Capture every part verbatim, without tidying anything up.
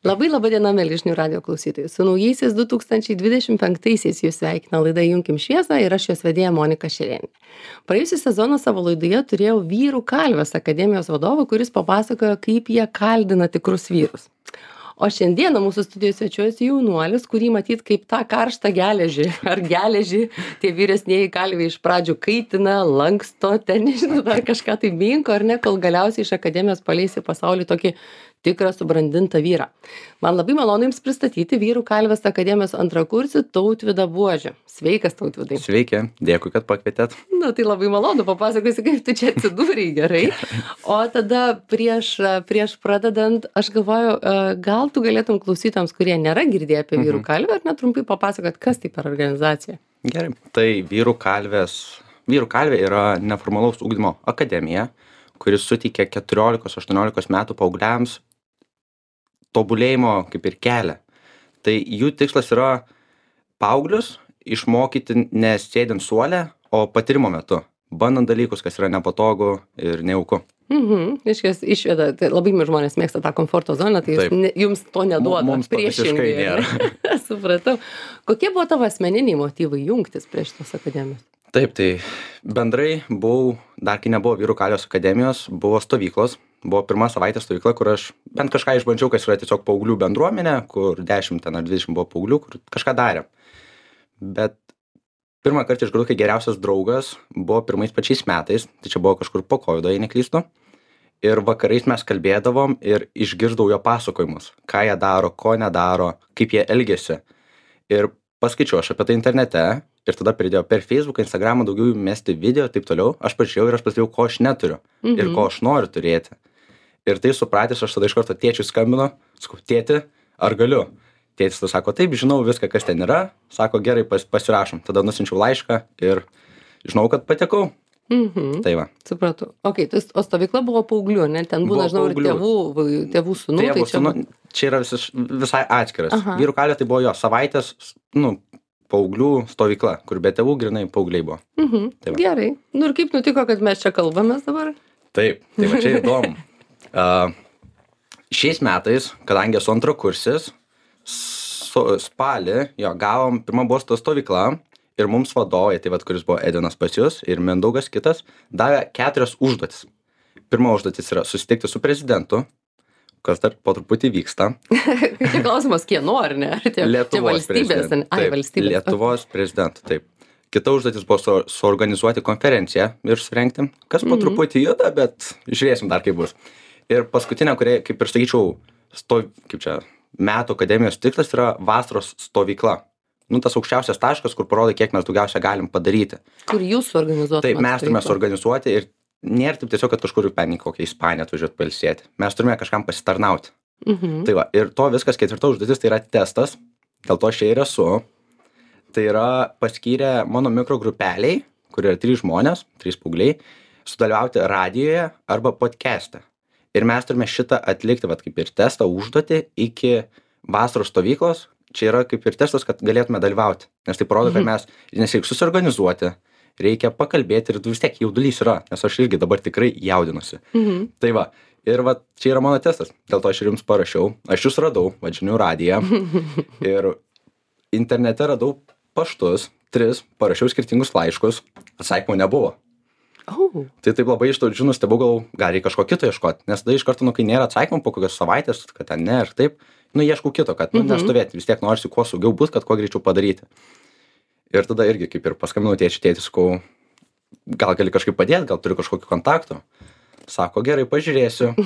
Labai laba diena, mėly žinių radijo klausytojai. Su naujaisiais du tūkstančiai dvidešimt penktaisiais jūs sveikina laida Junkim šviesą ir aš jos vedėja Monika Šerėnė. Praėjusią sezoną savo laidoje turėjau Vyrų kalvės akademijos vadovą, kuris papasakojo, kaip jie kaldina tikrus vyrus. O šiandieną mūsų studijoje svečiuojasi jaunuolis, kurį matyt kaip tą karštą geležį ar geležį tie vyresnieji kalviai iš pradžių kaitina, lanksto, ten nežinau, dar kažką tai minko ar ne, kol galiausiai iš akademijos paleis į pasaulį tokį tikrą subrandintą vyrą. Man labai malonu Jums pristatyti Vyrų kalvės akademijos antrakursį Tautvydą Buožį. Sveikas, Tautvydai. Sveiki, dėkui, kad pakvietėt. Na, tai labai malonu, papasakosi, kaip tu čia atsidūrei, gerai. O tada prieš, prieš pradedant, aš galvoju, gal tu galėtum klausytams, kurie nėra girdėję apie Vyrų kalvę, ar netrumpai papasakot, kas tai per organizacija? Gerai, tai Vyrų kalvės, Vyrų kalvė yra neformalaus ugdymo akademija, kuris suteikia keturiolikos aštuoniolikos metų paaugliams tobulėjimo kaip ir kelią. Tai jų tikslas yra paauglius išmokyti ne sėdint suole, o patyrimo metu, bandant dalykus, kas yra nepatogu ir nejauku. Mhm, iškės išveda, tai labai žmonės mėgsta tą komforto zoną, tai jūs, ne, jums to neduoda. Mums to visiškai nėra. Supratau. Kokie buvo tavo asmeniniai motyvai jungtis prie šitos akademijos? Taip, tai bendrai buvau, dar kai nebuvo Vyrų kalvės akademijos, buvo stovyklos. Buvo pirma savaitė stovykla, kur aš bent kažką išbandžiau, kas yra tiesiog paauglių bendruomenė, kur dešimt ar dvidešimt buvo paauglių, kur kažką darė. Bet pirmą kartą išgirdau, kai geriausias draugas buvo pirmais pačiais metais, tai čia buvo kažkur po kovido, jei neklystu. Ir vakarais mes kalbėdavom ir išgirdau jo pasakojimus, ką jie daro, ko nedaro, kaip jie elgiasi. Ir paskaičiau aš apie tai internete ir tada pridėjau per Facebooką, Instagramą daugiau mesti video ir taip toliau. Aš pažiūrėjau ir aš pastebėjau, ko aš neturiu mhm. ir ko aš noriu turėti. Ir tai supratęs, aš tada iš karto tėčiui skambinu, sakau, tėti, ar galiu? Tėtis tada sako, taip, žinau viską, kas ten yra, sako, gerai, pas, pasirašom. Tada nusinčiau laišką ir žinau, kad patekau. Mhm. Tai va. Supratau. Ok, tai, o stovykla buvo paauglių, ne? Ten būna, žinau, ir tėvų, tėvų sūnų. Tėvų tai čia... sūnų, čia yra vis, visai atskiras. Aha. Vyrų kalvė tai buvo jo savaitės, nu, paauglių stovykla, kur be tėvų grinai paaugliai buvo. Mhm. Tai va. Gerai. Nu ir kaip nutiko, kad mes čia kalbamės dabar? Taip, tai va čia įdomu. Uh, šiais metais, kadangi esu antrakursis, su, spalį, jo, gavom, pirma buvo to stovykla ir mums vadovai, tai vat, kuris buvo Edinas pas jūs ir Mindaugas kitas, davė keturias užduotis. Pirma užduotis yra susitikti su prezidentu, kas dar po truputį vyksta. Čia klausimas, kieno, ar ne? Ar tie, Lietuvos valstybės, ai, valstybės. Lietuvos prezidentų, taip. Kita užduotis buvo su, suorganizuoti konferenciją ir surengti, kas po mm-hmm. truputį juda, bet žiūrėsim dar kaip bus. Ir paskutinė, kurie, kaip ir sakyčiau, sto, kaip čia, metų akademijos tikslas yra vasaros stovykla. Nu, tas aukščiausias taškas, kur parodai, kiek mes daugiausia galim padaryti. Kur jūs suorganizuotumėte? Taip, mes turime suorganizuoti ir nėra taip tiesiog, kad kažkur penį kokią Ispaniją atvažiuoti pailsėti. Mes turime kažkam pasitarnauti. Mhm. Tai va, ir to viskas ketvirta užduotis, tai yra testas, dėl to aš čia ir esu. Tai yra paskyrę mano mikrogrupeliai, kur yra trys žmonės, trys paaugliai, sudalyvauti radijoje arba podcast'e. Ir mes turime šitą atlikti, vat, kaip ir testą užduotį iki vasaros stovyklos. Čia yra kaip ir testas, kad galėtume dalyvauti. Nes tai parodo, kad mes, nes reikia susiorganizuoti, reikia pakalbėti ir vis tiek jaudulys yra, nes aš irgi dabar tikrai jaudinuosi. Mhm. Tai va, ir va, čia yra mano testas. Dėl to aš ir jums parašiau. Aš jūs radau, vadžinių radiją. Ir internete radau paštus, tris, parašiau skirtingus laiškus, atsakymų nebuvo. Oh. Tai taip labai iš to žinus, stebau, gal, gal reikia kažko kito ieškoti, nes tada iš karto, nu, kai nėra atsakymų po kokios savaitės, kad ten ne ir taip, nu, ieškau kito, kad, nu, Mhm. nestovėti, vis tiek norisi kuo saugiau būt, kad kuo greičiau padaryti. Ir tada irgi, kaip ir paskambinau tėčiui, tėtis, sakau, gal gali kažkaip padėti, gal turiu kažkokį kontaktų. Sako, gerai, pažiūrėsiu.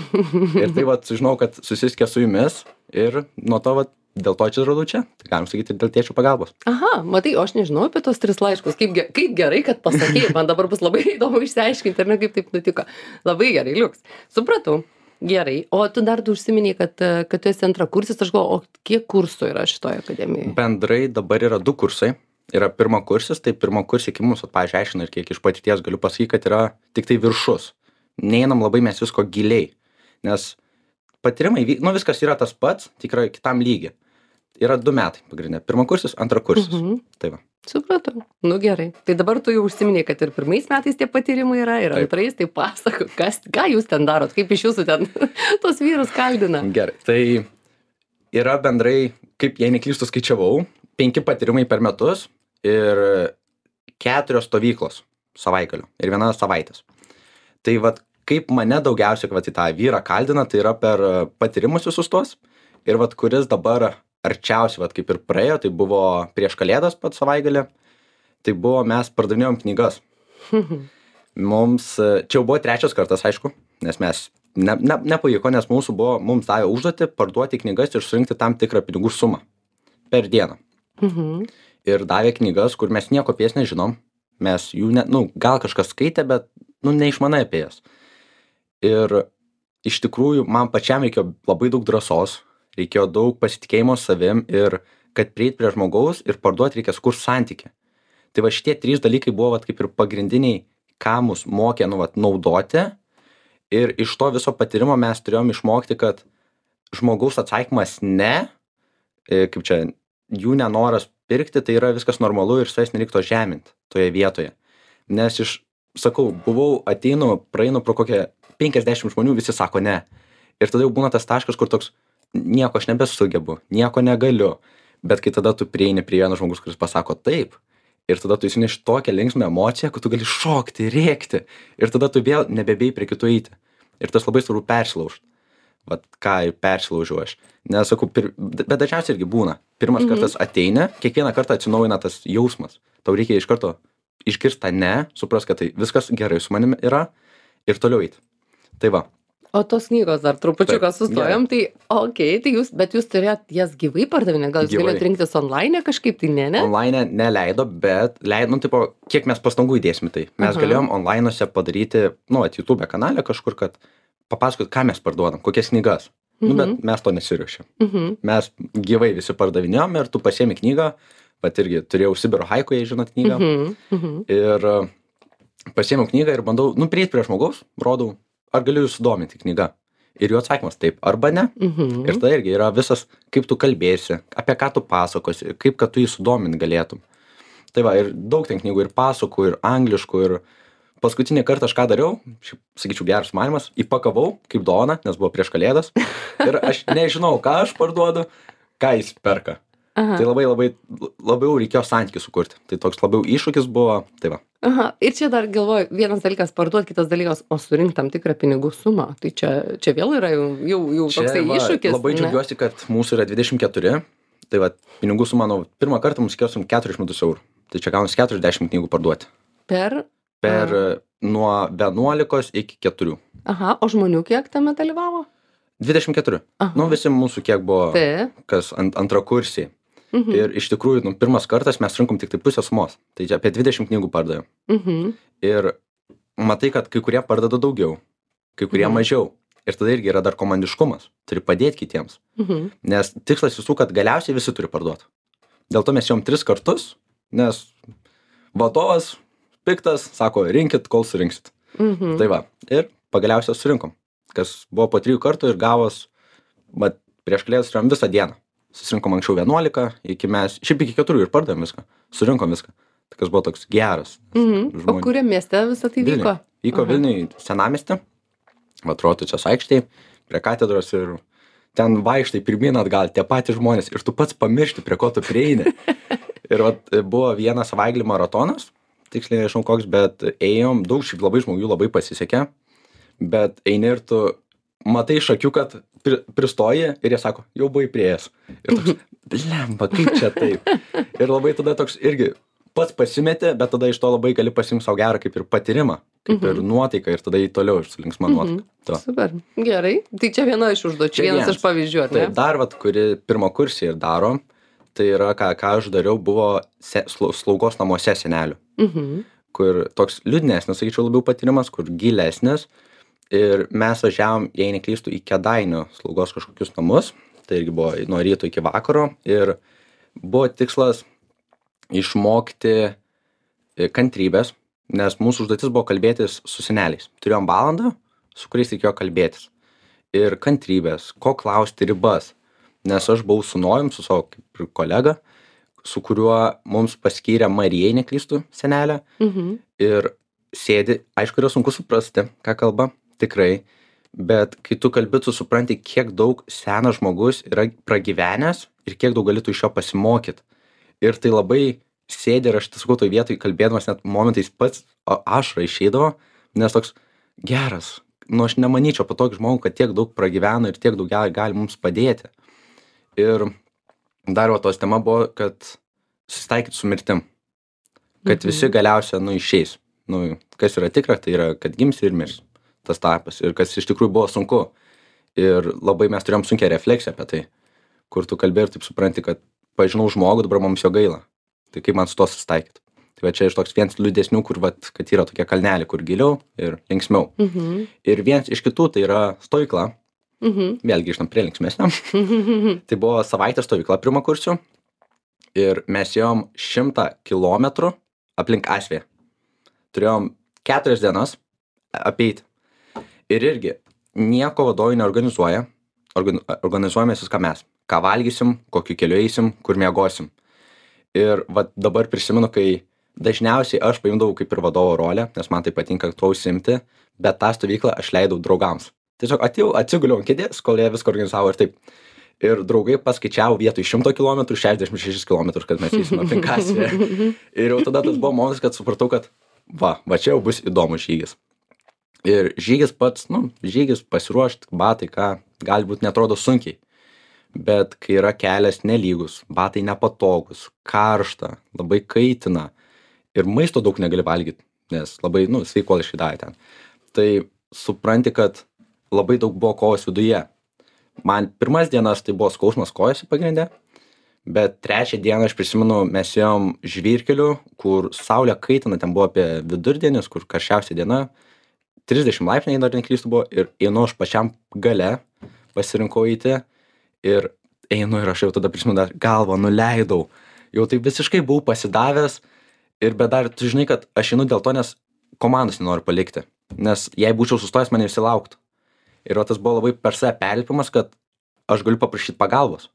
Ir tai, vat, žinau, kad susiskė su jumis ir nuo to, vat, dėl to čia radau čia. Tai galim sakyti ir dėl tėčių pagalbos. Aha, matai, o aš nežinau apie tos tris laiškus. Kaip, ge- kaip gerai, kad pasakėjai. Man dabar bus labai įdomu išsiaiškinti, ar ne, kaip taip nutiko. Labai gerai, liuks. Supratau. Gerai. O tu dar tu užsiminei, kad, kad tu esi antrakursis. Aš galvoju, o kiek kursų yra šitoje akademijoje? Bendrai dabar yra du kursai. Yra pirma kursis, tai pirma kursai iki mūsų, pavyzdžiui, aiškina ir kiek iš patirties galiu pasakyti, kad yra tik tai viršus. Neinam labai mes visko giliai. Nes patyrimai, nu viskas yra tas pats, tik yra kitam lygiai. Yra du metai pagrindinė. Pirmakursis, antrakursis. Mhm. Tai va. Supratau. Nu gerai. Tai dabar tu jau užsiminei, kad ir pirmais metais tie patyrimai yra, ir Taip. antrais, tai pasako, kas, ką jūs ten darot, kaip iš jūsų ten tos vyrus kaldina. Gerai. Tai yra bendrai, kaip jei neklystu skaičiavau, penki patyrimai per metus ir keturios stovyklos savaitgalio ir viena savaitės. Tai vat, kaip mane daugiausiai vat, į tą vyrą kaldina, tai yra per patyrimus visus tuos. Ir vat, kuris dabar arčiausiai, vat, kaip ir praėjo, tai buvo prieš Kalėdas pat savaitgalį. Tai buvo, mes pardavinėjom knygas. Mums, čia jau buvo trečias kartas, aišku, nes mes ne, ne, nepavyko, nes mūsų buvo, mums davė užduotį parduoti knygas ir surinkti tam tikrą pinigų sumą per dieną. Mhm. Ir davė knygas, kur mes nieko apie jas nežinom. Mes jų, ne, nu, gal kažkas skaitė, bet, nu, neišmanai apie jas. Ir iš tikrųjų, man pačiam reikėjo labai daug drąsos, reikėjo daug pasitikėjimo savim ir kad prieit prie žmogaus ir parduoti reikia sukurt santykį. Tai va šitie trys dalykai buvo vat, kaip ir pagrindiniai, ką mus mokė nu, vat, naudoti. Ir iš to viso patyrimo mes turėjom išmokti, kad žmogaus atsakymas ne, kaip čia, jų nenoras pirkti, tai yra viskas normalu ir savęs nereiktų žeminti toje vietoje. Nes iš, sakau, buvau, ateinu, praeinu pro kokią penkiasdešimt žmonių, visi sako ne. Ir tada jau būna tas taškas, kur toks, nieko aš nebesugebu, nieko negaliu. Bet kai tada tu prieini prie vieno žmogus, kuris pasako taip, ir tada tu įsineši tokią linksmą emociją, kad tu gali šokti, rėkti. Ir tada tu vėl nebebėjai prie kitų eiti. Ir tas labai svarbu persilaužti. Vat ką ir persilaužiu aš. Nes sakau, pir... bet dažniausiai irgi būna. Pirmas mhm. kartas ateini, kiekvieną kartą atsinaujina tas jausmas. Tau reikia iš karto išgirsti tą ne, supras, kad tai viskas gerai su manimi yra ir toliau eiti. Tai va. O tos knygos dar trupučiuką sustojom, tai okei, okay, tai jūs, bet jūs turėjot jas gyvai pardavinę, gal jūs Gyvai. galėjot rinktis online kažkaip, tai ne, ne? Online neleido, bet leido, nu, tipo, kiek mes pastangų įdėsim tai. Mes Aha. galėjom online'uose padaryti, nu, at YouTube kanale kažkur, kad papasakot, ką mes parduodam, kokias knygas. Nu, bet mes to nesiriuošėm. Mhm. Mes gyvai visi pardavinėjom ir tu pasiemi knygą, bet irgi turėjau Sibiro haiku, jei žinot knygą. Mhm. Mhm. Ir uh, pasiėmiau knygą ir bandau, nu, prieit prie žmogaus, rodau, ar galiu jūs sudominti knyga. Ir jų atsakymas taip arba ne. Mhm. Ir tai irgi yra visas, kaip tu kalbėsi, apie ką tu pasakosi, kaip kad tu jį sudomint galėtum. Tai va, ir daug ten knygų, ir pasakų, ir angliškų, ir paskutinį kartą aš ką dariau, šiaip, sakyčiau, geras manymas, įpakavau kaip dovaną, nes buvo prieš Kalėdas. Ir aš nežinau, ką aš parduodu, ką jis perka. Aha. Tai labai, labai, labiau reikėjo santykį sukurti. Tai toks labiau iššūkis buvo, tai va. Aha, ir čia dar galvoju, vienas dalykas parduoti, kitas dalykas, o surinkti tam tikrą pinigų sumą. Tai čia, čia vėl yra jau, jau, jau toksai va, iššūkis. Labai džiaugiuosi, kad mūsų yra dvidešimt keturi. Tai va, pinigų suma, nu, pirmą kartą mums skirsim keturis šimtus eurų. Tai čia gaunasi keturiasdešimt knygų parduoti. Per? Per Aha. nuo vienuolikos iki keturių. Aha, o žmonių kiek tame dalyvavo? dvidešimt keturi. Aha. Nu, visi mūsų kiek buvo, Taip. kas ant, antrakursiai. Mhm. Ir iš tikrųjų, nu, pirmas kartas mes rinkom tik tai pusę sumos. Tai čia apie dvidešimt knygų pardavėm. Mhm. Ir matai, kad kai kurie pardada daugiau, kai kurie Mhm. mažiau. Ir tada irgi yra dar komandiškumas. Turi padėti kitiems. Mhm. Nes tikslas visų, kad galiausiai visi turi parduoti. Dėl to mes jom tris kartus, nes vadovas piktas, sako, rinkit, kol surinksit. Mhm. Tai va. Ir pagaliausiai surinkom. Kas buvo po trijų kartų ir gavos, bet prieš Kalėdas turėjom visą dieną. Susirinkom anksčiau vienuolika, iki mes, šiaip iki keturių ir pardavėm viską. Surinkom viską. Tai kas buvo toks geras. Mhm. O kuriam mieste visą tai vyko? Vyko Aha. Vilniui senamiestį, va Rotušės aikštėj, prie katedros ir ten vaikštai pirmyn atgal, tie patys žmonės ir tu pats pamiršti, prie ko tu prieini. Ir va buvo vienas savaitgalį maratonas, tiksliai nežinau koks, bet ėjom, daug šiaip labai žmonių labai pasisekė, bet eini ir tu matai iš akių, kad pri, pristoji ir jie sako, jau buvai prieėjęs. Ir toks, blemba, kaip čia taip. Ir labai tada toks irgi pats pasimetė, bet tada iš to labai gali pasiimti savo gerą kaip ir patyrimą, kaip Mhm. ir nuotaiką ir tada į toliau su linksma nuotaika. Mhm. Super, gerai. Tai čia viena iš užduočių, Čia vienas vienas. iš pavyzdžių, ar ne? Taip, dar vat, kuri pirmo kursį ir daro, tai yra, ką, ką aš dariau, buvo se, slau- slaugos namuose senelių, Mhm. kur toks liūdnesnis, sakyčiau, labiau patyrimas, kur gilesnis. Ir mes važiavom, jei neklystu, į Kėdainių slaugos kažkokius namus, tai irgi buvo nuo ryto iki vakaro. Ir buvo tikslas išmokti e, kantrybės, nes mūsų užduotis buvo kalbėtis su seneliais. Turėjom valandą, su kuriais reikėjo kalbėtis. Ir kantrybės, ko klausti ribas. Nes aš buvau su Nojum, su savo kaip ir kolega, su kuriuo mums paskyrė Marijai, neklystu, senelę. Mhm. Ir sėdi, aišku, yra sunku suprasti, ką kalba, tikrai. bet kai tu kalbi, tu supranti, kiek daug senas žmogus yra pragyvenęs ir kiek daug gali tu iš jo pasimokyti. Ir tai labai sėdi ir aš sakau, toj vietoj kalbėdamas net momentais pats ašra išeidavo, nes toks geras, nu aš nemanyčiau apie tokį žmogų, kad tiek daug pragyvena ir tiek daug gali, gali mums padėti. Ir dar va tos tema buvo, kad susitaikyti su mirtim. Kad visi galiausia, nu, išeis. Nu, kas yra tikra, tai yra, kad gims ir mirs tas tarpas. Ir kas iš tikrųjų buvo sunku. Ir labai mes turėjom sunkią refleksiją apie tai, kur tu kalbėjai ir taip supranti, kad pažinau žmogų, dabar mums jo gaila. Tai kaip man su to susitaikyti. Tai va čia iš toks vienas liūdesnių, kur vat, kad yra tokie kalneliai, kur giliau ir linksmiau. Mhm. Ir vienas iš kitų tai yra stovykla. Mhm. Vėl grįžtam prie linksmesnio. Tai buvo savaitės stovykla pirmakursių. Ir mes ėjom šimtą kilometrų aplink Asvėją. Turėjom keturias dienas apeiti. Ir irgi nieko vadovai neorganizuoja. Organ, organizuojamės viską mes. Ką valgysim, kokiu keliu eisim, kur miegosim. Ir va dabar prisimenu, kai dažniausiai aš paimdavau kaip ir vadovo rolę, nes man tai patinka tuo užsiimti, bet tą stovyklą aš leidau draugams. Tiesiog atėjau, atsiguliau ant kėdės, kol jie viską organizavo ir taip. Ir draugai paskaičiavo vietoj šimto kilometrų šešiasdešimt šešis kilometrus, kad mes eisim aplink Asvėją. Ir jau tada tas buvo momentas, kad supratau, kad va, va čia jau bus įdomus žygis. Ir žygis pats, nu, žygis pasiruošti, batai, ką, galbūt netrodo sunkiai. Bet kai yra kelias nelygus, batai nepatogus, karšta, labai kaitina ir maisto daug negali valgyti, nes labai, nu, sveikuoliškai davė ten. Tai supranti, kad labai daug buvo kovos viduje. Man pirmas dienas tai buvo skausmas kojose pagrindė, bet trečią dieną aš prisimenu, mes ėjom žvyrkeliu, kur saulė kaitina, ten buvo apie vidurdienis, kur karščiausia diena, trisdešimt laipsniai dar neklystu buvo ir einu aš pačiam gale, pasirinkau eiti ir einu ir aš jau tada prisimenu, dar galvą nuleidau, jau tai visiškai buvau pasidavęs ir bet dar tu žinai, kad aš einu dėl to, nes komandos nenoriu palikti, nes jei būčiau sustojęs, mane visi lauktų. Ir o tas buvo labai per save perlipimas, kad aš galiu paprašyti pagalbos.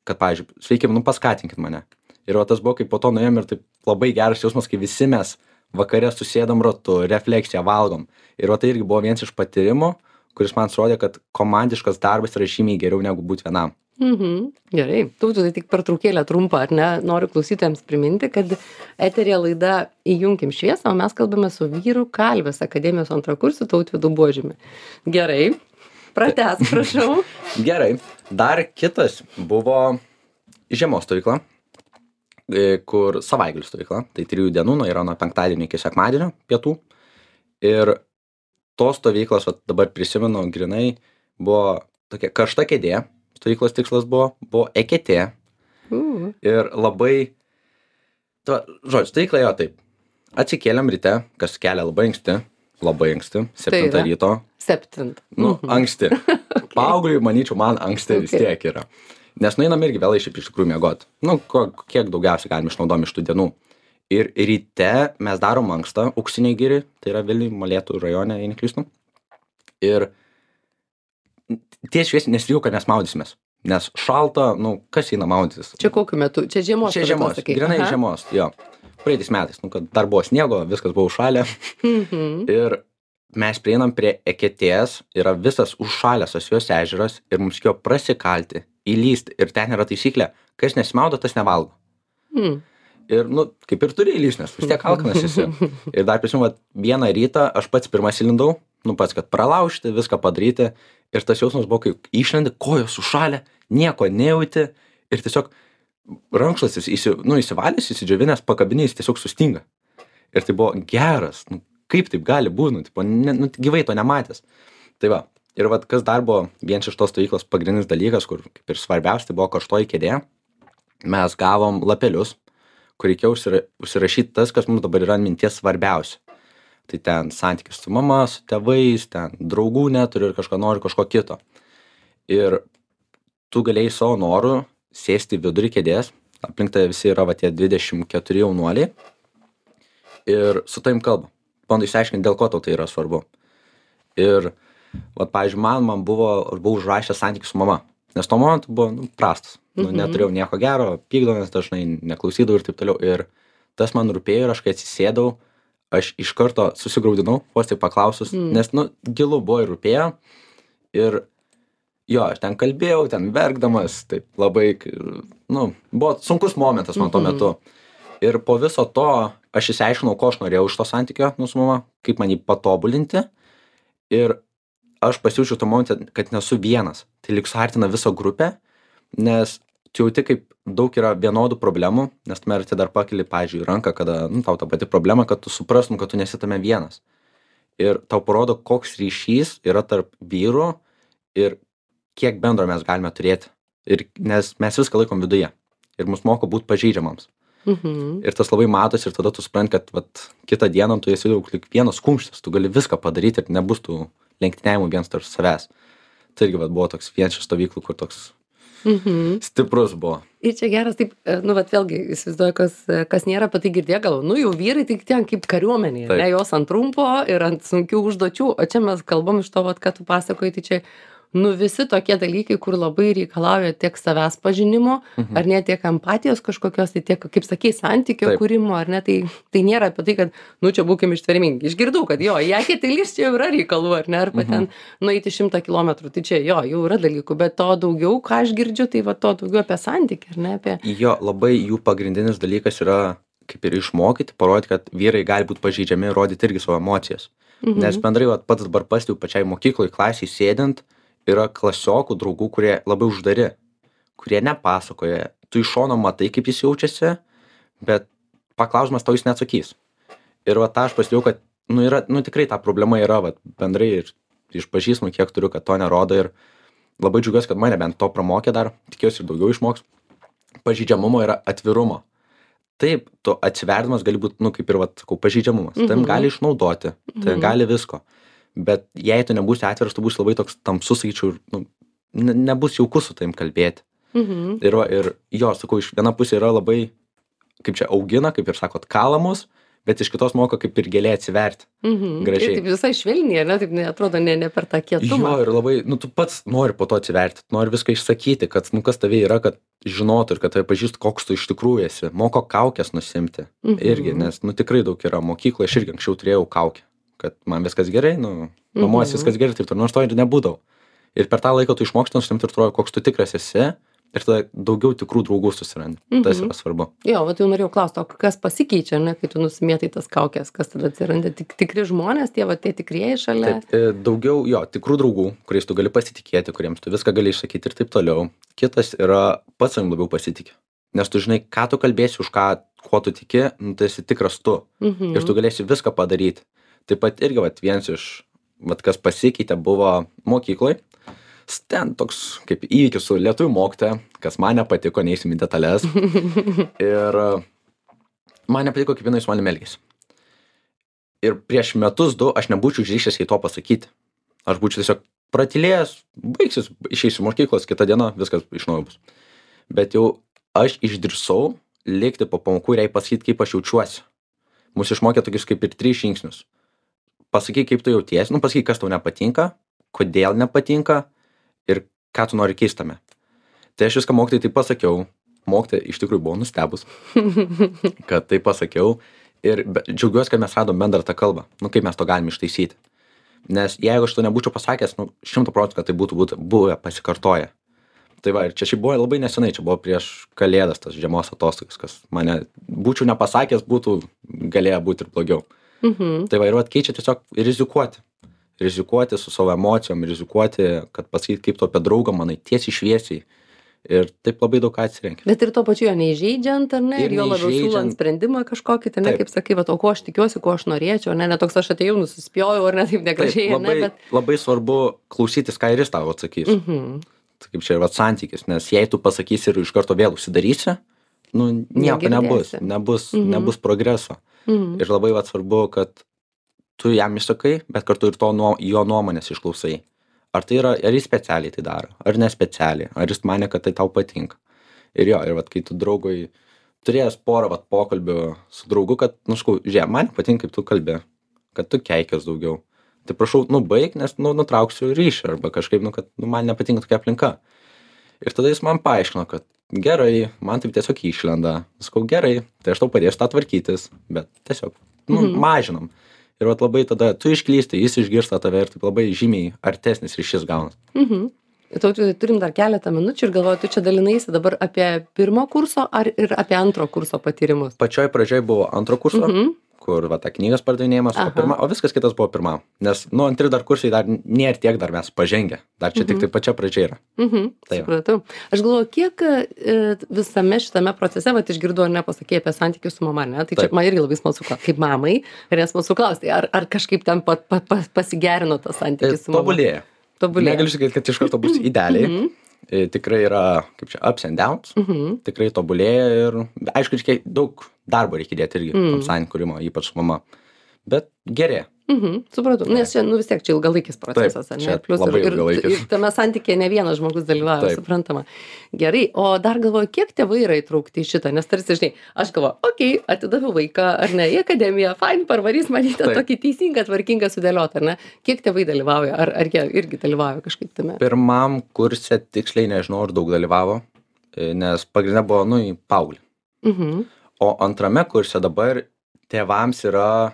Kad, pavyzdžiui, sveiki, nu paskatinkit mane. Ir o tas buvo, kaip po to nuėjom ir taip labai geras jausmas, kai visi mes vakare susėdam ratu, refleksiją valgom. Ir o tai irgi buvo vienas iš patyrimų, kuris man surodė, kad komandiškas darbas yra žymiai geriau negu būti vienam. Mhm. Gerai. Tautų, tai tik pertraukėlę trumpą, ar ne? Noriu klausytojams priminti, kad eterija laida Įjunkim šviesą, o mes kalbame su vyru Kalvės akademijos antrakursiu Tautvydu Buožiumi. Gerai. Pratęs, prašau. Gerai. Dar kitas buvo žiemos stovykla, kur savaitgalių stovykla. Tai trijų dienų, nu, yra nuo penktadienio iki sekmadienio pietų. Ir tos stovyklos, va, dabar prisimenu, grinai buvo tokia karšta kėdė. Stovyklos tikslas buvo, buvo eketė. Uh. Ir labai, to, žodžiu, stovykla jo taip. Atsikėlėm ryte, kas kelia labai anksti, labai anksti, septintą Tai ryto. Septint. Nu, Mhm. anksti. Okay. Paaugliui, manyčiau, man anksti vis Okay. tiek yra. Nes nueinam irgi vėlai šiaip iš tikrųjų miegot. Nu, ko, kiek daugiausiai galim išnaudom iš tų dienų. Ir ryte mes darom ankstą, Auksiniai giri, tai yra Vilniuj, Molėtų rajone, jei neklystu. Ir ties šviesiai nesrijau, kad mes maudysimės. Nes šalta, nu, kas eina maudytis? Čia kokiu metu? Čia žiemos. Čia žiemos, sakai. grinai Aha. žiemos, jo. Praeitais metais, nu, kad dar buvo sniego, viskas buvo užšalę. Mhm. Ir mes prieinam prie eketės, yra visas užšalęs Asvejos ežeras ir mums reikėjo prasikalti, įlysti. Ir ten yra taisyklė, kas nesimaudo, tas nevalgo. Mhm. Ir, nu, kaip ir turi įlysti, nes vis tiek alkanas esi. Ir dar prisimenu, vat, vieną rytą aš pats pirmas įlindau, nu pats, kad pralaužti, viską padaryti. Ir tas jausmas buvo, kai išlendi, kojos sušalę, nieko nejauti ir tiesiog rankšluostis įsi, nu, įsivalęs, įsidžiovinęs, pakabinės tiesiog sustinga. Ir tai buvo geras, nu, kaip taip gali būti, nu, tipo, ne, nu, gyvai to nematęs. Tai va, ir va, kas dar buvo vienas iš tos stovyklos pagrindinis dalykas, kur kaip ir svarbiausia, tai buvo karštoji kėdė. Mes gavom lapelius, kur reikėjo užsira, užsirašyti tas, kas mums dabar yra minties svarbiausia. Tai ten santykis su mama, su tėvais, ten draugų neturi ir kažką nori, kažko kito. Ir tu galėjai savo norų sėsti į vidurį kėdės, aplink tai visi yra va tie dvidešimt keturi jaunuoliai ir su tavim kalba. Bando išsiaiškinti, dėl ko tau tai yra svarbu. Ir, va, pavyzdžiui, man, man buvo, aš buvau užrašęs santykį su mama, nes to momentu buvo, nu, prastas. Nu, Mhm. neturėjau nieko gero, pykdomės dažnai, neklausydavau ir taip toliau. Ir tas man rūpėjo ir aš kai atsisėdau, aš iš karto susigraudinau, vos tik paklausus, Mm. nes, nu, gilu buvo ir rūpėjo. Ir jo, aš ten kalbėjau, ten verkdamas, taip labai, nu, buvo sunkus momentas man tuo metu. Ir po viso to aš išsiaiškinau, ko aš norėjau iš to santykio, nu, su mama, kaip man jį patobulinti. Ir aš pasijaučiau tuo momente, kad nesu vienas. Tai lyg suartina visą grupę, nes tu jauti, kaip daug yra vienodų problemų, nes tu merti dar pakeli, pavyzdžiui, ranką, kada, nu, tau ta pati problema, kad tu suprastum, kad tu nesi tame vienas. Ir tau parodo, koks ryšys yra tarp vyrų ir kiek bendro mes galime turėti. Ir, nes mes viską laikom viduje. Ir mus moko būti pažeidžiamams. Mhm. Ir tas labai matosi ir tada tu supranti, kad vat, kitą dieną tu esi daug lyg vienas kumštis, tu gali viską padaryti ir nebus tų lenktyniavimų vienas tarp savęs. Tai irgi vat, buvo toks vienas iš stovyklų, kur toks mhm. stiprus buvo. Ir čia geras, taip, nu, vat vėlgi, įsivaizduoju, kas, kas nėra apie tai girdėję, gal, nu, jau vyrai tai ten kaip kariuomenė, ne, jos ant trumpo ir ant sunkių užduočių, o čia mes kalbam iš to, vat, ką tu pasakoji, tai čia, nu, visi tokie dalykai, kur labai reikalauja tiek savęs pažinimo, mhm. ar ne, tiek empatijos kažkokios, tai tiek, kaip sakei, santykio Taip. Kūrimo, ar ne, tai, tai nėra apie tai, kad, nu, čia būkim ištvermingi. Išgirdau, kad jo, į akį tai lys čia jau yra reikalų, ar ne, arba mhm. ten nueiti šimtą kilometrų, tai čia jo, jau yra dalykų, bet to daugiau, ką aš girdžiu, tai va to daugiau apie santykį, ar ne, apie... Jo, labai jų pagrindinis dalykas yra, kaip ir išmokyti, parodyti, kad vyrai gali būti pažeidžiami, rodyti irgi savo emocijas. Mhm. Nes bendrai, va, pats dabar pastebiu pačiai mokykloj, klasiai sėdint, yra klasiokų draugų, kurie labai uždari, kurie nepasakoja. Tu iš šono matai, kaip jis jaučiasi, bet paklausimas tau jis neatsakys. Ir va tą aš pastebėjau, kad nu, yra, nu, tikrai ta problema yra va, bendrai ir iš pažįstamų, kiek turiu, kad to nerodo. Ir labai džiaugiuosi, kad mane bent to pramokė dar, tikiuosi ir daugiau išmoks. Pažeidžiamumo yra atvirumo. Taip, tu atsiverdamas gali būti, nu, kaip ir, va, sakau, pažeidžiamumas. Mhm. Tam gali išnaudoti, tai mhm. gali visko. Bet jei tu nebūsi atviras, tu būsi labai toks tamsus, sakyčiau, nu, ne, nebus jaukus su taim kalbėti. Mhm. Ir, va, ir jo, sakau, iš viena pusė yra labai, kaip čia augina, kaip ir sakot, kalamus, bet iš kitos moko kaip ir gėlė atsiverti. Mhm. Gražiai. Ir taip visai švelniai, ne, taip neatrodo, ne, ne per tą kietumą. Jo, ir labai, nu, tu pats nori po to atsiverti, nori viską išsakyti, kad, nu, kas tavai yra, kad žinotų ir kad tave pažįstų, koks tu iš tikrųjų esi. Moko kaukės nusimti. Mhm. Irgi, nes, nu, tikrai daug yra mokykloje, aš irgi anksčiau turėjau kaukę. Kad man viskas gerai, nu, mamos mhm. viskas gerai, taip ir nors to ir nebūdavau. Ir per tą laiką tu išmoksti nusimti ir atrodo, koks tu tikras esi, ir tada daugiau tikrų draugų susirandi. Mhm. Tas yra svarbu. Jo, bet jau norėjau klausti, o kas pasikeičia, ne, kai tu nusimėtai tas kaukės, kas tada atsiranda? Tik, tikri žmonės, tie, va, tie tikrieji šalia? Taip, daugiau, jo, tikrų draugų, kuriais tu gali pasitikėti, kuriems tu viską gali išsakyti ir taip toliau. Kitas yra pats savim labiau pasitikė. Nes tu žinai, ką tu kalbėsi, už ką, kuo tu tiki, nu, tai esi tikras tu. Mhm. Ir tu galėsi viską padaryti. Taip pat irgi vat, vienas iš, vat, kas pasikeitė, buvo mokykloj. Ten toks kaip įvykis su lietuvių mokytoja, kas man nepatiko, neįsim į detalės. Ir man nepatiko, kaip jinai su manim elgėsi. Ir prieš metus du aš nebūčiau išdrįsęs jai to pasakyti. Aš būčiau tiesiog pratylėjęs, baigsis, išeisiu mokyklos, kitą dieną viskas iš naujo bus. Bet jau aš išdrįsau likti po pamokų ir jai pasakyti, kaip aš jaučiuosi. Mūsų išmokė tokius kaip ir tris žingsnius. Pasakyk, kaip tu jautiesi, nu pasakyk, kas tau nepatinka, kodėl nepatinka ir ką tu nori keistame. Tai aš viską mokytojai taip pasakiau, mokytoja iš tikrųjų buvo nustebus, kad taip pasakiau ir džiaugiuosi, kad mes radom bendrą tą kalbą, nu kaip mes to galim ištaisyti. Nes jeigu aš to nebūčiau pasakęs, nu šimtų procentų, kad tai būtų, būtų buvę pasikartoję. Tai va, ir čia šiaip buvo labai nesenai, čia buvo prieš kalėdas tas žiemos atostogas, kas mane būčiau nepasakęs, būtų galėję būti ir blogiau. Mhm. Tai va, ir va, keičia tiesiog rizikuoti. Rizikuoti su savo emocijom, rizikuoti, kad pasakyti, kaip tu apie draugą manai, tiesiai šviesiai. Ir taip labai daug ką atsirenki. Bet ir to pačiu jo neįžeidžiant, ar ne? Ir, ir jo labiau siūlant sprendimą kažkokį, tai ne, kaip sakai, va, o ko aš tikiuosi, ko aš norėčiau, ne, ne toks aš atėjau, nusispjojau, ar ne, taip negražiai, taip, labai, ne, bet... Labai svarbu klausytis, ką ir jis tavo atsakys. Mhm. Tai kaip čia yra santykis, nes jei tu pasakysi ir iš karto vėl užsidarysi, nu, nieko nebus, nebus, mhm. nebus progreso. Mhm. Ir labai va, svarbu, kad tu jam išsakai, bet kartu ir to nuo, jo nuomonės išklausai. Ar tai yra, ar jis specialiai tai daro, ar nespecialiai, ar jis manė, kad tai tau patinka. Ir jo, ir vat, kai tu draugui turėjęs porą vat, pokalbių su draugu, kad, nu, škau, žiūrėk, man patinka, kaip tu kalbė, kad tu keikies daugiau. Tai prašau, nu, baig, nes, nu, nutrauksiu ryšį, arba kažkaip, nu, kad, nu, man nepatinka tokia aplinka. Ir tada jis man paaiškino, kad gerai, man taip tiesiog išlenda. Sakau, gerai, tai aš tau padėsiu tą tvarkytis, bet tiesiog, nu, mhm. mažinam. Ir vat labai tada tu išklysti, jis išgirsta tave ir taip labai žymiai artesnis ryšys gaunas. Mhm. Tautvidai, turim dar keletą minučių ir galvoju, tu čia dalinaisi dabar apie pirmo kurso ar ir apie antro kurso patyrimus? Pačioj pradžioj buvo antro kurso, Mhm. kur va ta knygas pardavinėjimas, o, Aha. pirma, o viskas kitas buvo pirmam. Nes, nu, antri dar kursai dar nėra tiek dar mes pažengę. Dar čia tik tai pačia pradžia yra. Mhm, Tai va. supratau. Aš galvoju, kiek e, visame šitame procese, vat išgirdau ar ne, pasakei apie santykius su mama, ne? Tai čia Taip. man irgi labai smalsu, ką- kaip mamai, ir nesmalsu klausti, ar, ar kažkaip ten pa, pa, pa, pasigerino tas Tai santykis su mama? tobulėja. Tobulėja. Negaliu sakyti, kad iš karto bus idealiai. Mhm. E, Tikrai yra, kaip čia, ups and downs. Mhm. Tikrai tobulėja ir, aišku, reikia daug darbo reikia įdėti irgi Mm. tam santykių kūrimo, ypač su mama. Bet gerėja. Mhm, supratau. Nes čia, nu vis tiek, čia ilgalaikis procesas, ar ne? čia Plius labai ir, ir, ilgalaikis. ir tame santykėje ne vienas žmogus dalyvauja, Taip. suprantama. Gerai, o dar galvoju, kiek tėvai yra įtraukti į šitą, nes tarsi, žinai, aš galvoju, okei, okay, atidaviau vaiką, ar ne, į akademiją, fain, parvarys manyti Taip. tokį teisingą, tvarkingą sudėliotą, ar ne? Kiek tėvai dalyvauja, ar, ar jie irgi dalyvauja kažkaip tame? Pirmam kurse tiksliai nežinau, ar daug dalyvavo, e, nes pagrindė buvo, nu, į paauglį. Mhm. O antrame kurse dabar tėvams yra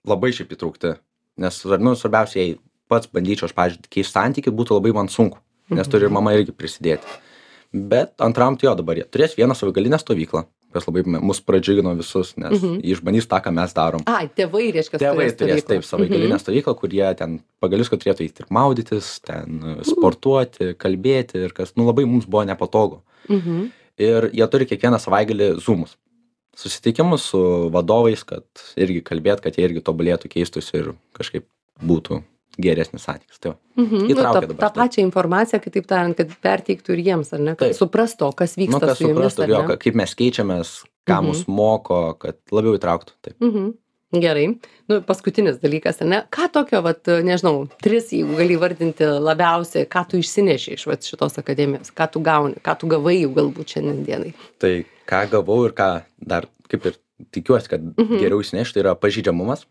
labai šiaip įtraukti. Nes, nu, svarbiausia, jei pats bandyčiau, aš, pavyzdžiui, keisti santykių, būtų labai man sunku. Nes turi ir mama irgi prisidėti. Bet antram tai jo dabar jie turės vieną savaitgalinę stovyklą, kas labai me- mus pradžiugino visus, nes Mhm. jie išbandys tą, ką mes darom. Ai, tėvai, reiškia, Tėvai turės taip savaitgalinę Mhm. stovyklą, kur jie ten pagalius, kad turėtų eiti ir maudytis, ten e, sportuoti, kalbėti ir kas, nu, labai mums buvo nepatogu. Mhm. Ir jie turi kiekvieną savaitgalį zoomus. Susitikimus su vadovais, kad irgi kalbėt, kad jie irgi tobulėtų, keistųsi ir kažkaip būtų geresnis santykis. Tai va. Mhm. Nu, Įtraukia tą, dabar tą tai. pačią informaciją, kitaip tariant, kad perteiktų ir jiems, ar ne? Kad Taip. suprastų, kas vyksta Nu, kad su jumis, suprastų, ar jo, ne? ka- kaip mes keičiamės, ką Mhm. mus moko, kad labiau įtrauktų. Taip. Mhm. Gerai. Nu, paskutinis dalykas, ar ne? Ką tokio, vat, nežinau, tris, jeigu gali vardinti labiausiai, ką tu išsineši iš vat, šitos akademijos, ką tu gauni, ką tu gavai jau galbūt šiandien dienai. Tai ką gavau ir ką dar, kaip ir tikiuosi, kad Mhm. geriau įsinešti, tai yra pažydžiamumas,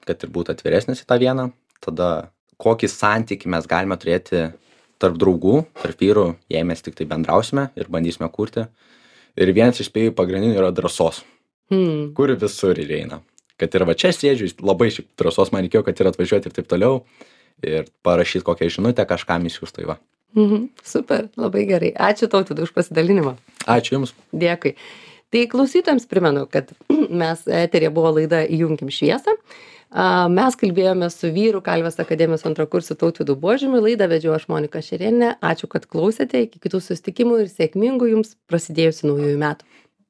kad ir būtų atviresnis į tą vieną. Tada kokį santykį mes galime turėti tarp draugų, tarp vyrų, jei mes tik tai bendrausime ir bandysime kurti. Ir vienas iš spėjų pagrindinių yra drąsos, Hmm. kur visur ir eina. Kad ir va čia sėdžiu, labai šiaip drąsos man reikėjo, kad ir atvažiuoti ir taip toliau. Ir parašyti kokią žinutę, kažkam įsiųstų į va. Mhm. Super, labai gerai. Ačiū Tautvydai už pasidalinimą. Ačiū Jums. Dėkui. Tai klausytojams primenu, kad mes eterėje buvo laida Įjunkim šviesą. A, Mes kalbėjome su vyrų Kalvės akademijos antrakursiu Tautvydu Buožiumi. Laidą vedžiau aš Monika Šerėnienė. Ačiū, kad klausėte. Iki kitų susitikimų ir sėkmingų jums prasidėjusių naujųjų metų.